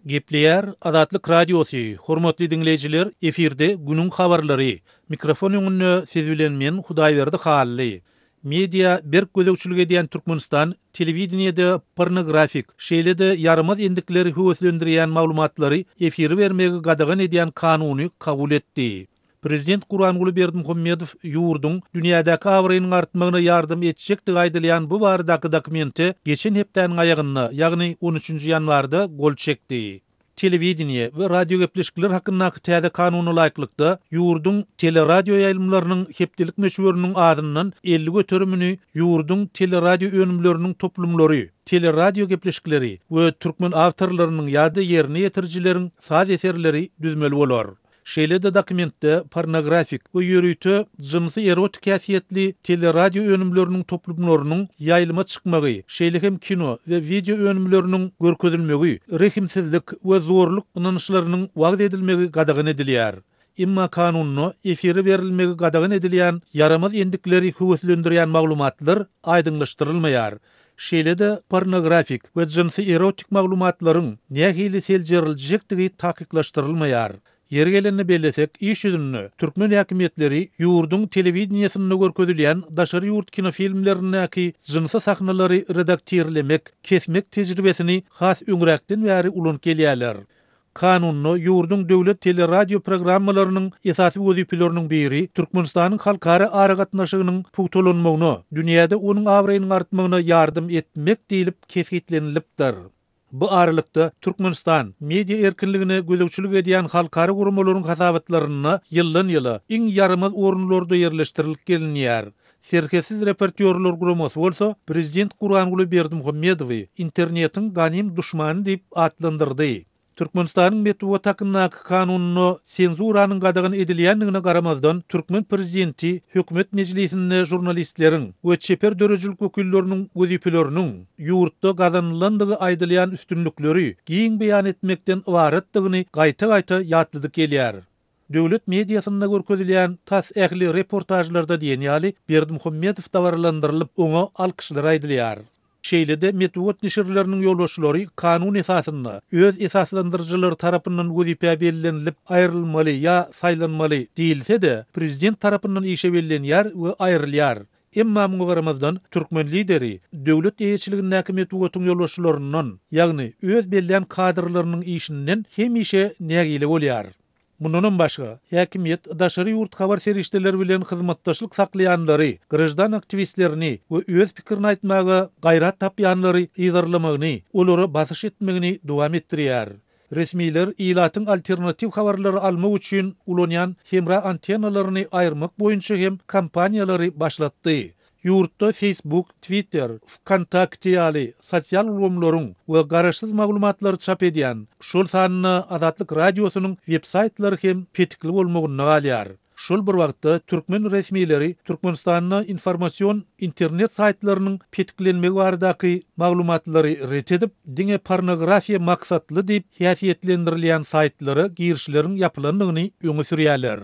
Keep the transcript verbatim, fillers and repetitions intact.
Gepleýär Azatlyk Radiosy, Hormatly diňleýjiler, efirde günüň habarlary. Mikrofon öňünde siz bilen men Hudaýberdi Hally. Media berk gözegçilik edýän Türkmenistan telewideniýede pornografik, şeýle-de ýaramaz endikleri höweslendirýän maglumatlary efire bermegi gadagan edýän kanuny kabul etdi. Prezident Gurbanguly Berdimuhamedow ýurduň dünýädäki abraýynyň artmagyna ýardam etjekdigi aýdylýan bu baradaky dokumente geçen hepdäniň aýagynda, ýagny on üçünji ýanwarda gol çekdi. Telewideniýe we radiogepleşikler hakyndaky täze kanuna laýyklykda, ýurduň teleradioýaýlymlarynyň hepdelik möçberiniň azyndan elli göterimini ýurduň teleradioönümleriniň toplumlary, teleradiogepleşikleri we türkmen awtorlarynyň ýa-da ýerine ýetirijileriň saz eserleri düzmeli bolar. Şeýle-de dokumentde pornografik we ýörite jynsy-erotik häsiýetli teleradio önümleriniň toplumlarynyň ýaýlyma çykmagy, şeýle hem kino we wideo önümleriniň görkezilmegi, rehimsizlik we zorluk ynançlarynyň wagyz edilmegi gadagan edilýär. Emma kanunda efire berilmegi gadagan edilýän ýaramaz endikleri höweslendirýän maglumatlar aýdyňlaşdyrylmaýar. Şeýle-de pornografik we jynsy-erotik maglumatlaryň nähili seljeriljekdigi takyklaşdyrylmaýar. Ýeri gelende bellesek, iş ýüzünde türkmen häkimiýetleri ýurduň telewideniýesinde görkezilýän daşary ýurt kinofilmlerindäki jynsy sahnalary redaktirlemek, kesmek tejribesini has öňräkden bäri ulanyp gelýärler. Kanunda ýurduň döwlet teleradio programmalarynyň esasy wezipeleriniň biri Türkmenistanyň halkara aragatnaşygynyň pugtalanmagyna, dünýäde onuň abraýynyň artmagyna ýardam etmek diýlip kesgitlenilipdir. Bu aralykda Türkmenistan media erkinligine gözegçilik edýän halkara guramalaryň hasabatlarynda ýyldan-ýyla iň ýaramaz orunlarda ýerleşdirilip gelinýär. Serhetsiz reportýorlar guramasy bolsa prezident Gurbanguly Berdimuhamedowy internetiň ganym duşmany diýip atlandyrdy. Türkmenistanyň metbugat hakyndaky kanunynda senzuranyň gadagan edilýändigine garamazdan, türkmen prezidenti hökümet mejlisinde žurnalistleriň we çeper döredijilik wekilleriniň wezipeleriniň ýurtda gazanylandygy aýdylýan üstünlikleri giň beýan etmekden ybaratdygyny gaýta-gaýta ýatladyp gelýär. Döwlet mediasynda görkezilýän tas ähli reportažlarda diýen ýaly Berdimuhamedow dabaralandyrylyp, oňa alkyşlar aýdylýar. Şeýle-de metbugat neşirleriniň ýolbaşçylary kanun esasynda öz esaslandyryjylary tarapyndan wezipä bellenilip aýrylmaly ýa saýlanmaly diýilse-de, prezident tarapyndan işe bellenýär we aýrylýar. Emma muňa garamazdan türkmen lideri döwlet eýeçiligindäki metbugatyň ýolbaşçylaryndan, ýagny öz bellän kadrlarynyň işinden hemişe nägile bolýar. Mundanam başga, häkimiýet daşary ýurt habar serişdeleri bilen hyzmatdaşlyk saklaýanlary, graždan aktiwistlerini we öz pikirini aýtmaga gaýrat tapýanlary yzarlamagyny, olara basyş etmegini dowam etdirýär. Resmiler ilatyň alternatiw habarlary almak üçin ulanýan hemra antennalaryny aýyrmak boýunça hem kampaniýalary başlatdy. Ýurtda Facebook, Twitter, VKontakte ýaly sosial ulgamlaryň we garaşsyz maglumatlary çap edýän, şol sanda Azatlyk Radiosynyň web-saýtlary hem petikli bolmagynda galýar. Şol bir wagtda türkmen resmileri Türkmenistanda informasion internet saýtlarynyň petiklenmegi baradaky maglumatlary ret edip, diňe pornografiýa maksatly diýip häsiýetlendirilýän saýtlara girişleriň ýapylandygyny öňe sürýärler.